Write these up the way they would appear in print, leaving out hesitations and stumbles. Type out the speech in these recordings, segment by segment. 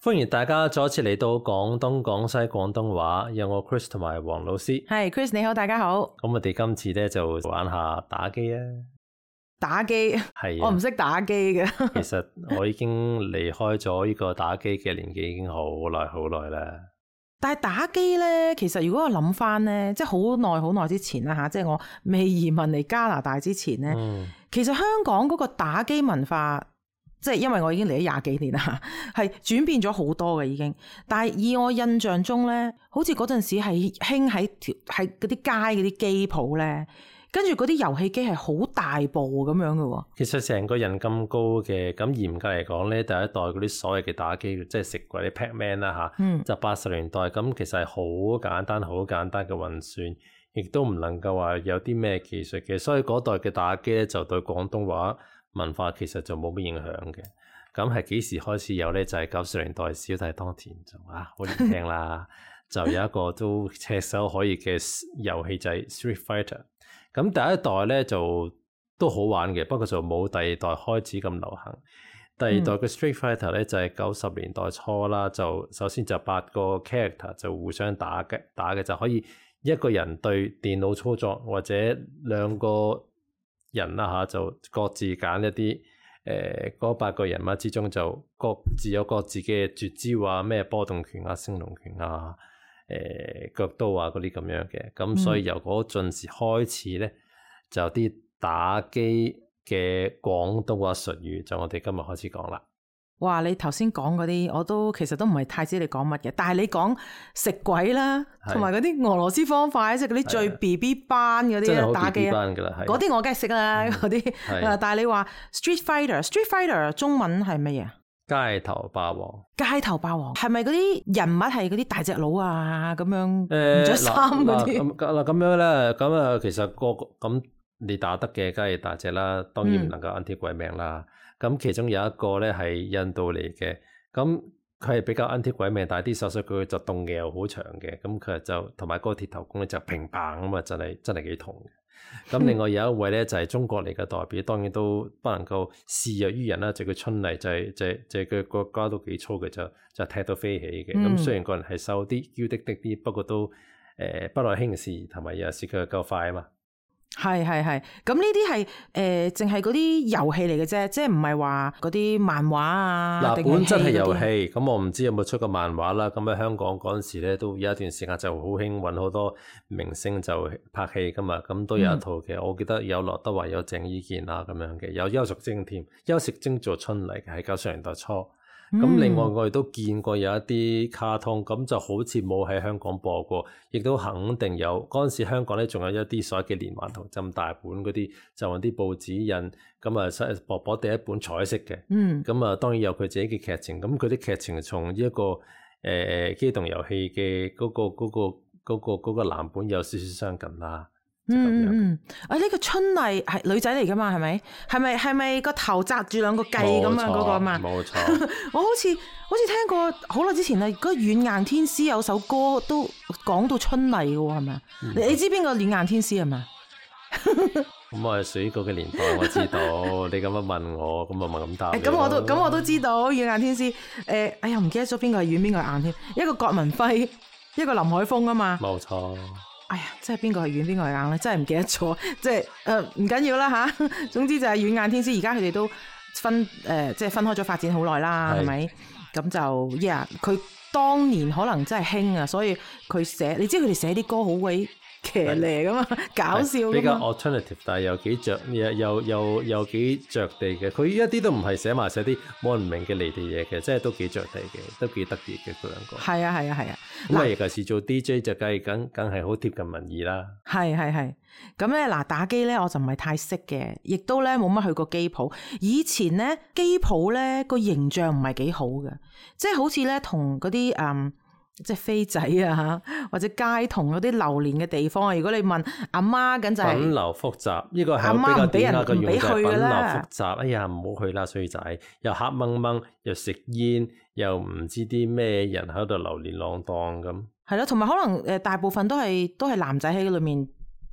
歡迎大家再一次嚟到廣東廣西廣東話，有我 Chris 同埋黃老師。係 Chris 你好，大家好。咁我哋今次咧就玩下打機啊！打機係我唔識打機嘅。其實我已經離開咗呢個打機嘅年紀已經好耐啦。但係打機咧，其實如果我諗翻咧，即係好耐之前啦吓，即係我未移民嚟加拿大之前咧，其實香港嗰個打機文化。即係因為我已經嚟咗廿幾年啦，係轉變咗好多嘅已經。但係以我印象中咧，好似嗰陣時係興喺嗰啲街嗰啲機鋪咧，跟住嗰啲遊戲機係好大部咁樣嘅喎。其實成個人咁高嘅，咁嚴格嚟講咧，第一代嗰啲所謂嘅打機，即係食過啲 Pac-Man 啦嚇，就80年代咁，其實係好簡單嘅運算，亦都唔能夠話有啲咩技術嘅，所以嗰代嘅打機咧就對廣東話文化其實就冇乜影響嘅。咁係幾時開始有咧？就係90年代小弟當田就好年輕啦，就有一個都炙手可熱嘅遊戲就係 Street Fighter。咁第一代咧就都好玩嘅，不過就冇第二代開始咁流行。第二代嘅 Street Fighter 咧就係90年代初啦，就首先就8個 character 就互相打嘅，就可以一個人對電腦操作，或者兩個人啦嚇，就各自揀一啲嗰8個人物之中就各自有各自嘅絕招啊，咩波動拳啊、升龍拳啊、腳刀啊嗰啲咁樣嘅。咁所以由嗰陣時開始咧，就有啲打機嘅廣東話術語，就我哋今日開始講啦。哇！你頭先講嗰啲，我都其實都唔係太知你講乜嘅，但係你講食鬼啦，同埋嗰啲俄羅斯方塊，即係嗰啲最 BB 班嗰啲打機啊，嗰啲我梗係識啦，嗰啲。但係你話 Street Fighter 中文係乜嘢？街頭霸王。街頭霸王係咪嗰啲人物係嗰啲大隻佬啊？咁樣唔着衫嗰啲？嗱咁樣咧，咁啊，其實咁你打得嘅梗係大隻啦，當然唔能夠 anti 鬼命啦。咁其中有一個咧係印度嚟嘅，咁佢係比較 anti 鬼命，但係啲手術佢就動嘅又好長嘅，咁佢就同埋嗰個鐵頭功咧就乒乓咁啊，真係幾痛嘅。咁另外有一位咧就係中國嚟嘅代表，當然都不能夠示弱於人啦，就叫春麗，就係佢個腳都幾粗嘅，就踢到飛起嘅。咁雖然個人係瘦啲、嬌滴滴啲，不過都不耐輕視，同埋有時佢又夠快啊嘛。係，咁呢啲係淨係嗰啲遊戲嚟嘅啫，即係唔係話嗰啲漫畫啊？嗱，本質係遊戲，咁我唔知有冇出過漫畫啦。咁喺香港嗰陣時咧，都有一段時間就好興揾好多明星就拍戲噶嘛，咁都有一套嘅。我記得有劉德華、有鄭伊健啊咁樣嘅，有邱淑貞添，邱淑貞做春麗嘅喺90年代初。咁另外我哋都見過有一啲卡通，咁就好似冇喺香港播過，亦都肯定有。嗰陣時香港咧仲有一啲所謂嘅連環圖咁大本嗰啲，就用啲報紙印，咁啊薄薄第一本彩色嘅。咁啊當然有佢自己嘅劇情，咁佢啲劇情從一個機動遊戲嘅嗰個藍本有少少相近啦。呢個春麗係女仔嚟噶嘛？係咪？係咪個頭紮住兩個髻咁啊？嗰個啊嘛？冇錯。我好似聽過好耐之前啊，嗰個軟硬天師有首歌都講到春麗嘅喎，係咪啊？你知邊個軟硬天師係咪？咁我係屬於嗰個年代，我知道。你咁樣問我，咁我咪咁答。咁我都知道軟硬天師。哎呀，唔記得咗邊個係軟邊個係硬添？一個葛民輝，一個林海峰啊嘛。冇錯。哎呀，即係邊個係軟邊個係硬咧？真係唔記得咗。即係唔緊要啦吓。總之就係軟硬天師，而家佢哋都即係分開咗發展好耐啦，係咪？咁就佢當年可能真係興啊，所以佢寫，你知佢哋寫啲歌好鬼騎呢噶嘛，搞笑噶嘛，比較 alternative， 但係又幾幾着地嘅。佢一啲都唔係寫啲冇人明嘅離地嘢嘅，即係都幾着地嘅，都幾得意嘅嗰兩個。係啊。咁啊，尤其是做 DJ 就梗係好貼近民意啦。係。咁咧嗱，打機咧我就唔係太識嘅，亦都咧冇乜去過機鋪。以前咧機鋪咧個形象唔係幾好嘅，即係好似咧同嗰啲即係飛仔啊，或者街童嗰啲流連嘅地方啊。如果你問阿媽，咁就係品流複雜，呢個係阿媽唔俾人唔俾去㗎啦。品流複雜，哎呀唔好去啦，衰仔，又黑掹掹，又食煙，又唔知啲咩人喺度流連浪蕩咁。係咯，同埋可能大部分都係男仔喺裏面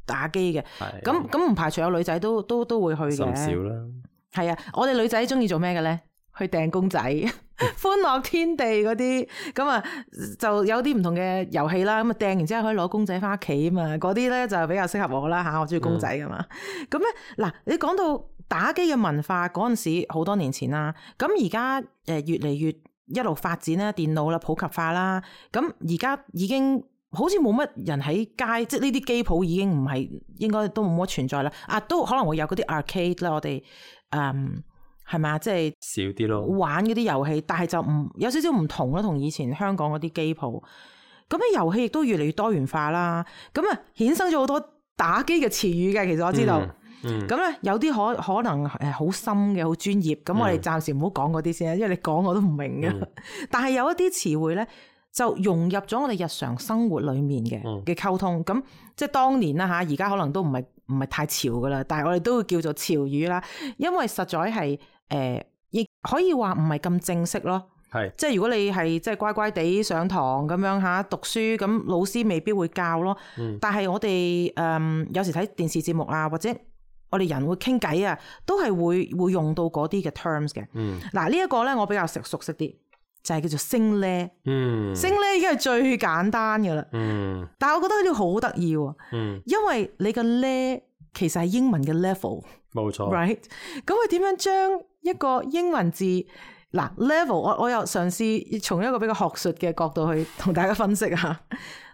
打機嘅。咁唔排除有女仔都會去嘅。甚少啦。係啊，我哋女仔中意做咩嘅咧？去訂公仔，歡樂天地嗰啲，咁啊就有啲唔同嘅遊戲啦。咁啊訂完之後可以攞公仔翻屋企啊嘛，嗰啲咧就比較適合我啦嚇，我中意公仔噶嘛。咁咧嗱，你講到打機嘅文化嗰陣時，好多年前啦。咁而家越嚟越一路發展啦，電腦啦普及化啦。咁而家已經好似冇乜人喺街，即係呢啲機鋪已經唔係，應該都冇乜存在啦。啊，都可能會有嗰啲 arcade 啦，我哋係咪啊？即係少啲咯，玩嗰啲遊戲，但係就有少少唔同啦，同以前香港嗰啲機鋪。咁咧遊戲亦都越嚟越多元化啦。咁啊衍生咗好多打機嘅詞語嘅，其實我知道。咁咧有啲可能好深嘅，好專業。咁我哋暫時唔好講嗰啲先，因為你講我都唔明嘅。但係有一啲詞彙咧，就融入咗我哋日常生活裡面嘅溝通。咁即係當年啦嚇，而家可能都唔係太潮噶啦，但係我哋都會叫做潮語啦。因為實在係亦可以話唔係咁正式咯。係即係如果你係即係乖乖地上堂咁樣嚇讀書，咁老師未必會教咯。但係我哋有時睇電視節目啊，或者我哋人會傾偈啊，都係會用到嗰啲嘅 terms 嘅。嗱呢一個咧，我比較熟悉啲，就係叫做升呢。升呢已經係最簡單嘅啦。但係我覺得呢個好得意喎。因為你個呢其實係英文嘅 level。冇錯。Right？ 咁佢點樣將一個英文字嗱 level， 我又嘗試從一個比較學術嘅角度去同大家分析下。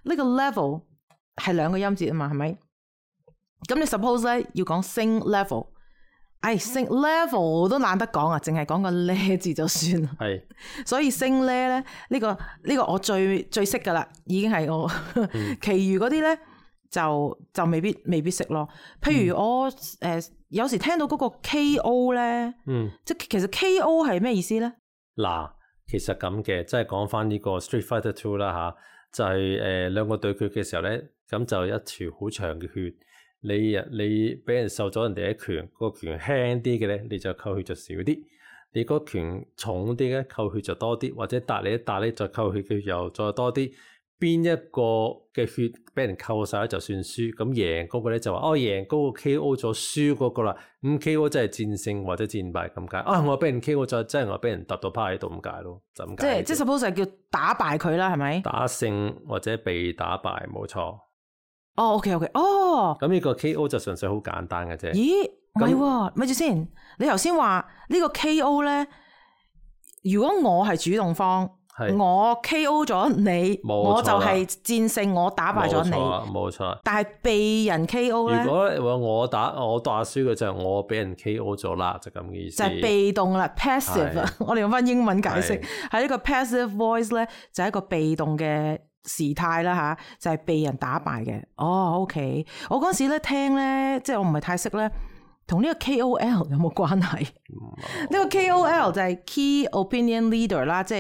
呢個 level 係兩個音節啊嘛，係咪？咁你 suppose 咧要講升 level， 升 level 都懶得講啊，淨係講個呢字就算啦。係，所以升呢咧呢個我最識噶啦，已經係我。其餘嗰啲咧就未必識咯。譬如我有時聽到嗰個 KO 咧，即係其實 KO 係咩意思咧？嗱，其實咁嘅，即係講翻呢個 Street Fighter 2啦嚇，就係兩個對決嘅時候咧，咁就一條好長嘅血。你俾人受咗人哋一拳，個拳輕啲嘅咧，你就扣血就少啲；你個拳重啲咧，扣血就多啲，或者搭你一搭咧，就扣血嘅又再多啲。邊一個嘅血俾人扣晒咧，就算輸。咁贏嗰個咧就話贏嗰個 KO 咗輸嗰個啦。咁 KO 真係戰勝或者戰敗咁解。我俾人 KO 咗，真係我俾人揼到趴喺度咁解咯，就咁解。即係 suppose 係叫打敗佢啦，係咪？打勝或者被打敗，冇錯。OK，咁呢個 KO 就純粹好簡單嘅啫。咦，唔係喎，咪住先。你頭先話呢個 KO 咧，如果我係主動方，我 KO 咗你，我就係戰勝，我打敗咗你。冇錯。但係被人 KO 咧，如果我打輸嘅就係我俾人 KO 咗啦，就咁嘅意思。就係被動啦 ，passive 啊。我哋用翻英文解釋，喺呢個 passive voice 咧，就係一個被動嘅時態啦吓，就係被人打敗嘅。OK， 我嗰時咧聽咧，即係我唔係太識咧，同呢個 KOL 有冇關係？呢個 KOL 就係 Key Opinion Leader 啦，即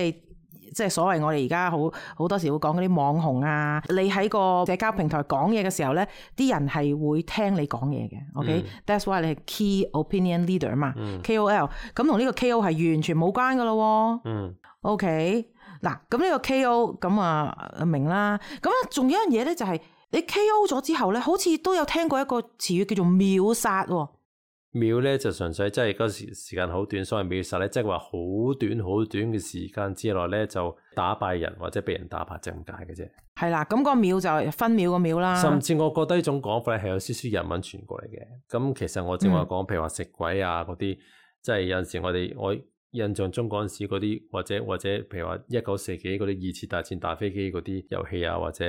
係所謂我哋而家好多時會講嗰啲網紅啊，你喺個社交平台講嘢嘅時候咧，啲人係會聽你講嘢嘅。OK，that's why 你係 Key Opinion Leader 嘛。KOL 咁同呢個 KO 係完全冇關噶咯。OK。嗱，咁呢個 KO 咁啊明啦。咁啊，仲有一樣嘢咧，就係你 KO 咗之後咧，好似都有聽過一個詞語叫做秒殺喎。秒咧就純粹即係嗰時間好短，所謂秒殺咧，即係話好短嘅時間之內咧就打敗人或者被人打敗，就咁解嘅啫。係啦，咁個秒就係分秒個秒啦。甚至我覺得呢種講法咧係有少少日文傳過嚟嘅。咁其實我正話講，譬如話食鬼啊嗰啲，即係有陣時我印象中嗰陣時嗰啲，或者譬如話19世紀嗰啲二次大戰打飛機嗰啲遊戲啊，或者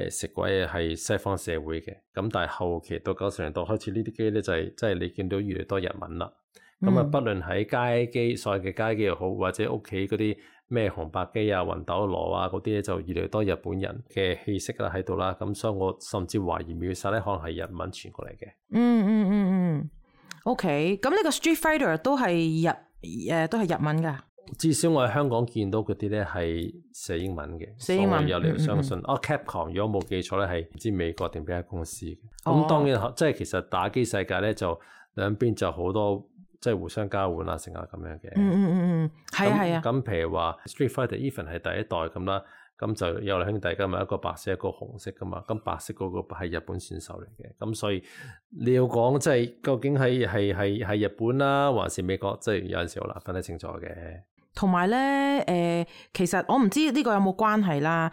食鬼啊，係西方社會嘅。咁但係後期到90年代開始呢啲機咧就係即係你見到越嚟越多日文啦。咁啊，不論喺街機，所謂嘅街機又好，或者屋企嗰啲咩紅白機啊、魂斗羅啊嗰啲咧，就越嚟越多日本人嘅氣息啦喺度啦。咁所以我甚至懷疑秒殺咧可能係日文傳過嚟嘅。OK， 咁呢個 Street Fighter 都係日文噶。至少我喺香港見到嗰啲咧係寫英文嘅，寫英文有理由相信。Capcom 如果冇記錯咧係唔知美國定邊間公司嘅。咁當然即係其實打機世界咧就兩邊就好多即係互相交換啊，成啊咁樣嘅。係啊。咁譬如話 Street Fighter Even 係第一代咁啦，咁就有兩兄弟噶嘛，一個白色一個紅色噶嘛，咁白色嗰個係日本選手嚟嘅，咁所以你要講即係究竟係日本啦，還是美國，即係有陣時好難分得清楚嘅。同埋咧，其實我唔知呢個有冇關係啦，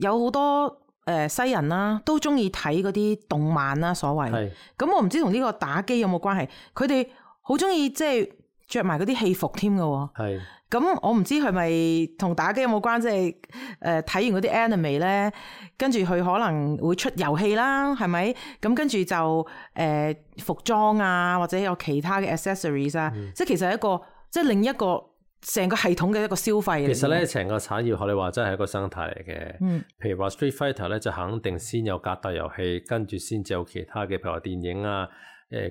有好多西人啦，都中意睇嗰啲動漫啦，所謂。咁我唔知同呢個打機有冇關係，佢哋好中意即係着埋嗰啲戲服添㗎喎。咁我唔知係咪同打機有冇關，即係睇完嗰啲 anime 咧，跟住佢可能會出遊戲啦，係咪？咁跟住就服裝啊，或者有其他嘅 accessories 啊，即係其實係一個即係另一個成個系統嘅一個消費。其實咧，成個產業學你話真係一個生態嚟嘅。譬如話 Street Fighter 咧，就肯定先有格鬥遊戲，跟住先至有其他嘅，譬如話電影啊、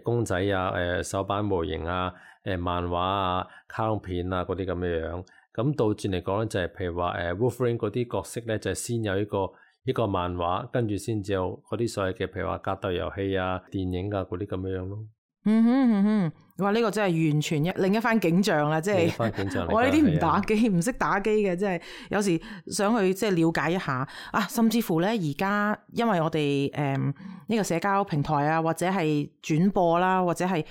公仔啊、手板模型啊、漫畫啊、卡通片啊嗰啲咁嘅樣。咁倒轉嚟講咧，就係譬如話Wolverine 嗰啲角色咧，就係先有一個漫畫，跟住先至有嗰啲所謂嘅譬如話格鬥遊戲啊、電影啊嗰啲咁嘅樣咯。哇！呢個真係完全另一番景象啦，即係我呢啲唔打機、唔識打機嘅，即係有時想去即係了解一下啊。甚至乎咧，而家因為我哋呢個社交平台啊，或者係轉播啦，或者係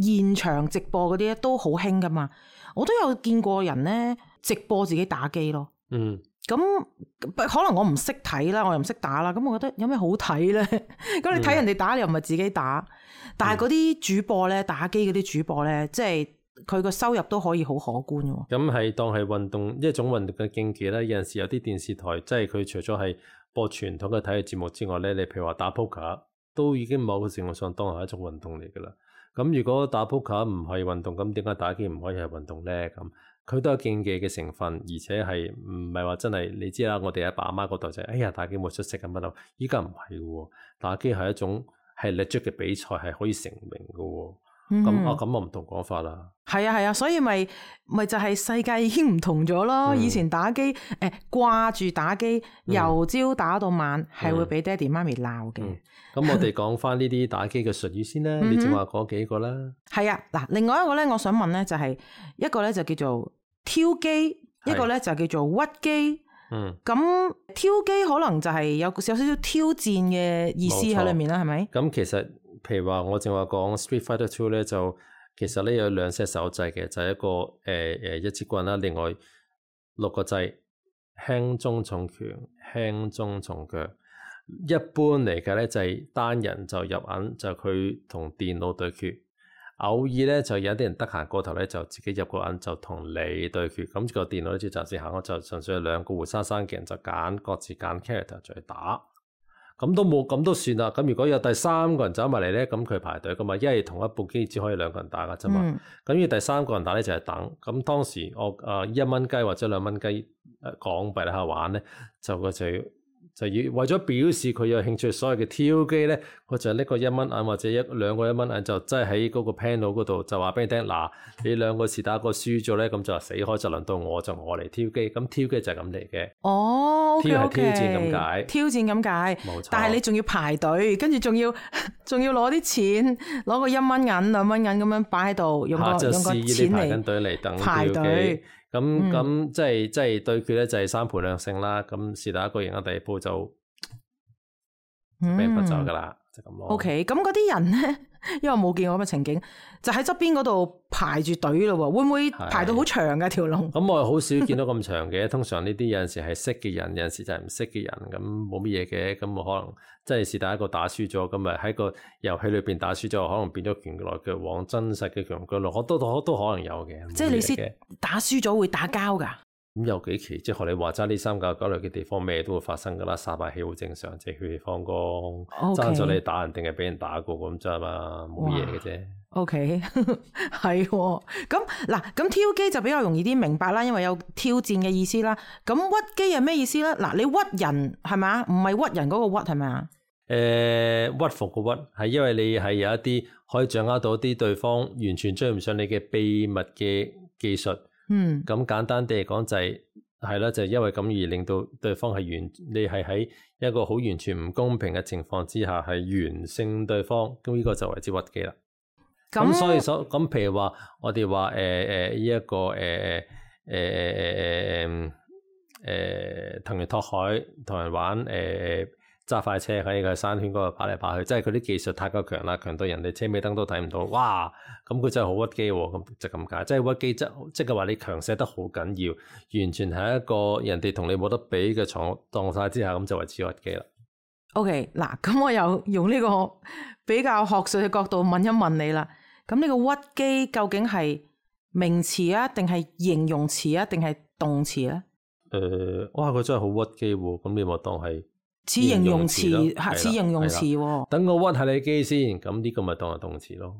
現場直播嗰啲咧，都好興噶嘛。我都有見過人咧直播自己打機咯。咁可能我唔識睇啦，我又唔識打啦，咁我覺得有咩好睇咧？咁你睇人哋打，你又唔係自己打，但係嗰啲主播咧，打機嗰啲主播咧，即係佢個收入都可以好可觀喎。咁係當係運動一種運動嘅競技咧，有陣時有啲電視台即係佢除咗係播傳統嘅體育節目之外咧，你譬如話打撲克都已經某個程度上當係一種運動嚟噶啦。咁如果打撲克唔係運動，咁點解打機唔可以係運動咧？咁佢都有競技嘅成分，而且係唔係話真係你知啦？我哋阿爸阿媽嗰代就係，哎呀打機冇出息咁乜咯。依家唔係喎，打機係一種係 legit 嘅比賽，係可以成名嘅喎。咁我唔同講法啦。係啊，所以咪就係世界已經唔同咗咯。以前打機掛住打機，由朝打到晚，係會俾爹哋媽咪鬧嘅。咁我哋講翻呢啲打機嘅術語先啦。你正話嗰幾個啦。係啊，嗱，另外一個咧，我想問咧，就係一個咧就叫做挑機，一個咧就叫做屈機。咁挑機可能就係有少少挑戰嘅意思喺裏面啦，係咪？咁其實譬如話我正話講 Street Fighter 2咧，就其實咧有兩 set 手掣嘅，就係一個一支棍啦，另外6個掣，輕中重拳、輕中重腳。一般嚟嘅咧就係單人就入銀，就佢同電腦對決。偶爾咧就有啲人得閒過頭咧，就自己入個銀就同你對決。咁個電腦咧就暫時行，我就純粹係兩個活生生嘅人就各自揀 character 再打。咁都冇，咁都算啦。咁如果有第三個人走埋嚟咧，咁佢排隊噶嘛，因為同一部機只可以兩個人打噶啫嘛。咁要第三個人打咧就係等。咁當時我1蚊雞或者2蚊雞港幣喺度玩咧，就要為咗表示佢有興趣，所謂嘅挑機咧，我就拎個1蚊銀或者兩個1蚊銀，就真係喺嗰個 panel 嗰度就話俾你聽，嗱，你兩個是打個輸咗咧，咁就死開，就輪到我嚟挑機。咁挑機就係咁嚟嘅。哦，挑係挑戰咁解，挑戰咁解，冇錯。但係你仲要排隊，跟住仲要攞啲錢，攞個1蚊銀、2蚊銀咁樣擺喺度，用個錢嚟等排隊。咁即係對決咧，就係3盤2勝啦。咁是但一個贏咗第二鋪就俾人罰走噶啦，就咁咯。OK， 咁嗰啲人咧，因為我冇見過咁嘅情景，就喺側邊嗰度排住隊咯。會唔會排到好長㗎條龍？咁我好少見到咁長嘅。通常呢啲有陣時係識嘅人，有陣時就係唔識嘅人，咁冇乜嘢嘅。咁我可能即係是但一個打輸咗，咁咪喺個遊戲裏邊打輸咗，可能變咗拳來腳往，真實嘅拳來腳往，都可能有嘅。即係你先打輸咗會打交㗎？咁有幾期，即係學你話齋呢3、9、9類嘅地方，咩都會發生噶啦，殺敗氣好正常，即係血氣方剛，爭咗你打人定係俾人打過咁啫嘛，冇嘢嘅啫。OK， 係咁嗱，咁挑機就比較容易啲明白啦，因為有挑戰嘅意思啦。咁屈機係咩意思咧？嗱，你屈人係咪啊？唔係屈人嗰個屈係咪啊？屈服個屈係因為你係有一啲可以掌握到啲對方完全追唔上你嘅秘密嘅技術。咁簡單啲嚟講就係啦，就係因為咁而令到對方你係喺一個好完全唔公平嘅情況之下係完勝對方，咁呢個就為之屈機啦。咁所以咁譬如話我哋話呢一個藤原拓海同人玩揸快車喺個山圈嗰度跑嚟跑去，即係佢啲技術太過強啦，強到人哋車尾燈都睇唔到，哇！咁佢真係好屈機喎，咁就咁解，即係屈機即係話你強勢得好緊要，完全係一個人哋同你冇得比嘅狀態之下，咁就為之屈機啦。OK， 嗱，咁我又用呢個比較學術嘅角度問一問你啦。咁呢個屈機究竟係名詞啊，定係形容詞啊，定係動詞咧？哇！佢真係好屈機喎，咁你咪當係似形容詞，似形容詞喎。等我屈下你機先，咁呢個咪當係動詞咯。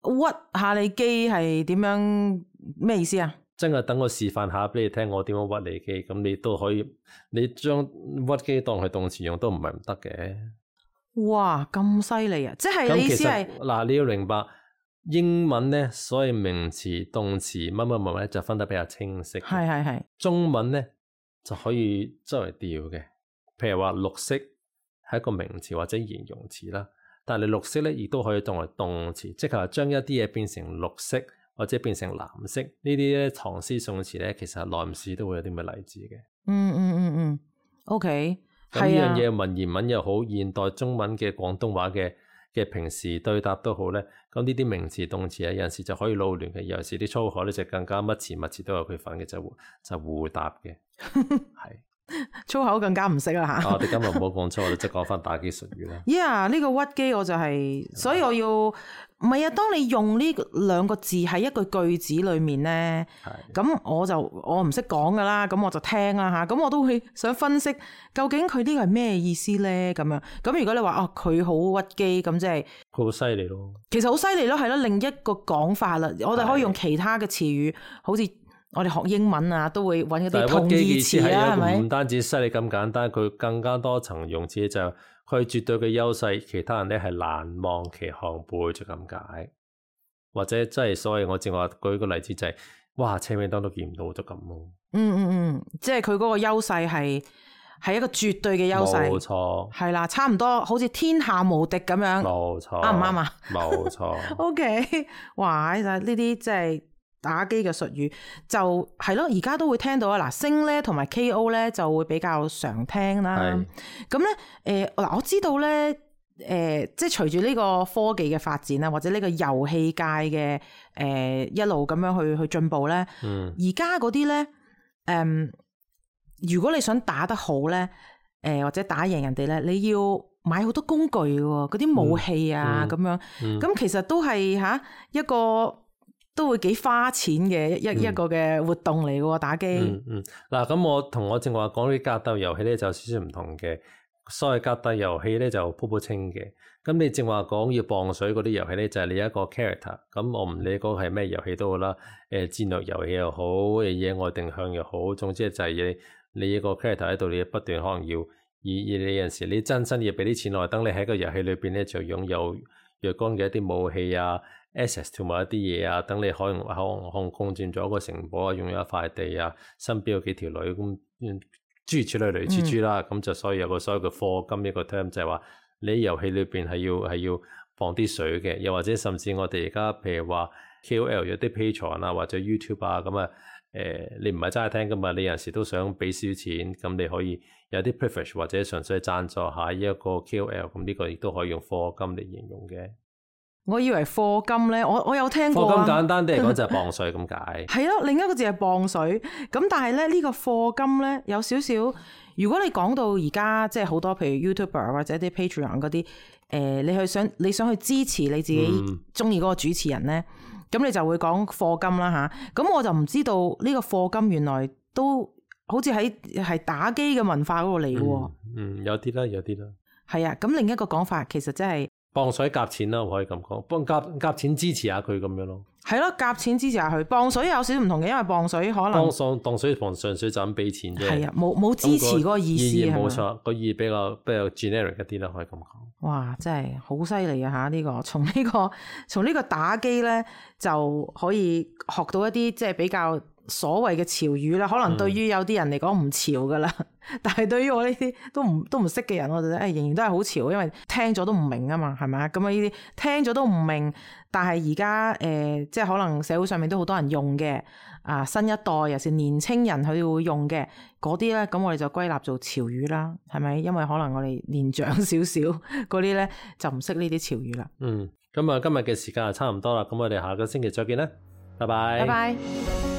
屈下你機係點樣？咩意思啊？真係等我示範下俾你聽，我點樣屈你機，咁你都可以，你將屈機當係動詞用都唔係唔得嘅。哇，咁犀利啊！即係你意思係嗱，你要明白英文咧，所以名詞、動詞乜乜乜咧就分得比較清晰。係。中文咧就可以周圍調嘅，譬如話綠色係一個名詞或者形容詞啦，但係你綠色咧亦都可以當為動詞，即係話將一啲嘢變成綠色。或者變成藍色呢啲咧，唐詩宋詞咧，其實內史都會有啲咩例子嘅。OK。咁呢樣嘢文言文又好，現代中文嘅廣東話嘅平時對答都好咧。咁呢啲名詞動詞啊，有陣時就可以撈亂嘅，有陣時啲粗口咧就更加乜詞都有佢份嘅，就互答嘅。係粗口更加唔識啦嚇。我哋今日唔好講粗口，即係講翻打機術語啦。呢個屈機我就係，所以我要。唔係啊，當你用呢兩個字喺一句句子裏面咧，咁我唔識講噶啦，咁我就聽啦嚇，咁我都會想分析究竟佢呢個係咩意思咧咁樣。咁如果你話佢好屈機，咁即係佢好犀利咯。其實好犀利咯，係咯，另一個講法啦。我哋可以用其他嘅詞語，好似我哋學英文啊，都會揾一啲同義詞啊，係咪？唔單止犀利咁簡單，佢更加多層用詞就佢絕對嘅優勢，其他人咧係難望其項背就咁解，或者即係所謂我正話舉個例子就係，哇車尾燈都見唔到就咁咯。即係佢嗰個優勢係一個絕對嘅優勢，冇錯，係啦，差唔多好似天下無敵咁樣，冇錯，啱唔啱啊？冇錯。OK， 哇！呢啲即係打機嘅術語就係咯，而家都會聽到啊。嗱，星咧同埋 KO 咧就會比較常聽啦。咁咧我知道咧即係隨住呢個科技嘅發展啦，或者呢個遊戲界嘅一路咁樣去進步咧，而家嗰啲咧如果你想打得好咧或者打贏人哋咧，你要買好多工具喎，嗰啲武器啊咁樣，咁其實都係一個都會幾花錢嘅一個嘅活動嚟嘅喎，打機。嗱，咁我同我正話講啲格鬥遊戲咧就有少少唔同嘅。所謂格鬥遊戲咧就鋪鋪清嘅。咁你正話講要磅水嗰啲遊戲咧就係你一個 character。咁我唔理嗰個係咩遊戲都好啦，戰略遊戲又好，野外定向又好，總之就係你一個 character 喺度，你不斷可能要你有陣時你真心要俾啲錢落，等你喺個遊戲裏邊咧就擁有若干嘅一啲武器啊。access 同埋一啲嘢啊，等你可能控佔咗一個城堡啊，擁有一塊地啊，身邊有幾條女咁，諸如此類似諸啦，咁就所以有個所謂嘅課金一個 term 就係話你遊戲裏邊係要放啲水嘅，又或者甚至我哋而家譬如話 KOL 有啲 Patreon 啊或者 YouTube 啊咁啊，你唔係齋聽噶嘛，你有陣時都想俾少錢，咁你可以有啲 privilege 或者純粹贊助下一個 KOL， 咁呢個亦都可以用課金嚟形容嘅。我以為課金咧，我有聽過啊。課金簡單啲嚟講就係磅水咁解。係咯，另一個字係磅水。咁但係咧呢個課金咧有少少，如果你講到而家即係好多譬如 YouTuber 或者啲 Patreon 嗰啲，你想去支持你自己中意嗰個主持人咧，咁你就會講課金啦吓。咁我就唔知道呢個課金原來都好似係打機嘅文化嗰度嚟嘅喎。有啲啦，有啲啦。係啊，咁另一個講法其實即係。磅水夾錢啦，我可以咁講，幫夾錢支持下佢咁樣咯。係咯，夾錢支持下佢。磅水有少少唔同嘅，因為磅水可能磅水純粹就咁俾錢啫。係啊，冇支持嗰個意思係嘛？冇錯，個意比較 generic 一啲啦，可以咁講。哇，真係好犀利啊！嚇，呢個從呢個打機咧就可以學到一啲即係比較所謂嘅潮語啦，可能對於有啲人嚟講唔潮噶啦，但係對於我呢啲都唔識嘅人，我就覺得仍然都係好潮，因為聽咗都唔明啊嘛，係咪啊？咁啊呢啲聽咗都唔明，但係而家即係可能社會上面都好多人用嘅啊，新一代尤其是年青人佢會用嘅嗰啲咧，咁我哋就歸納做潮語啦，係咪？因為可能我哋年長少少嗰啲咧就唔識呢啲潮語啦。咁啊，今日嘅時間就差唔多啦，咁我哋下個星期再見啦，拜拜。拜拜。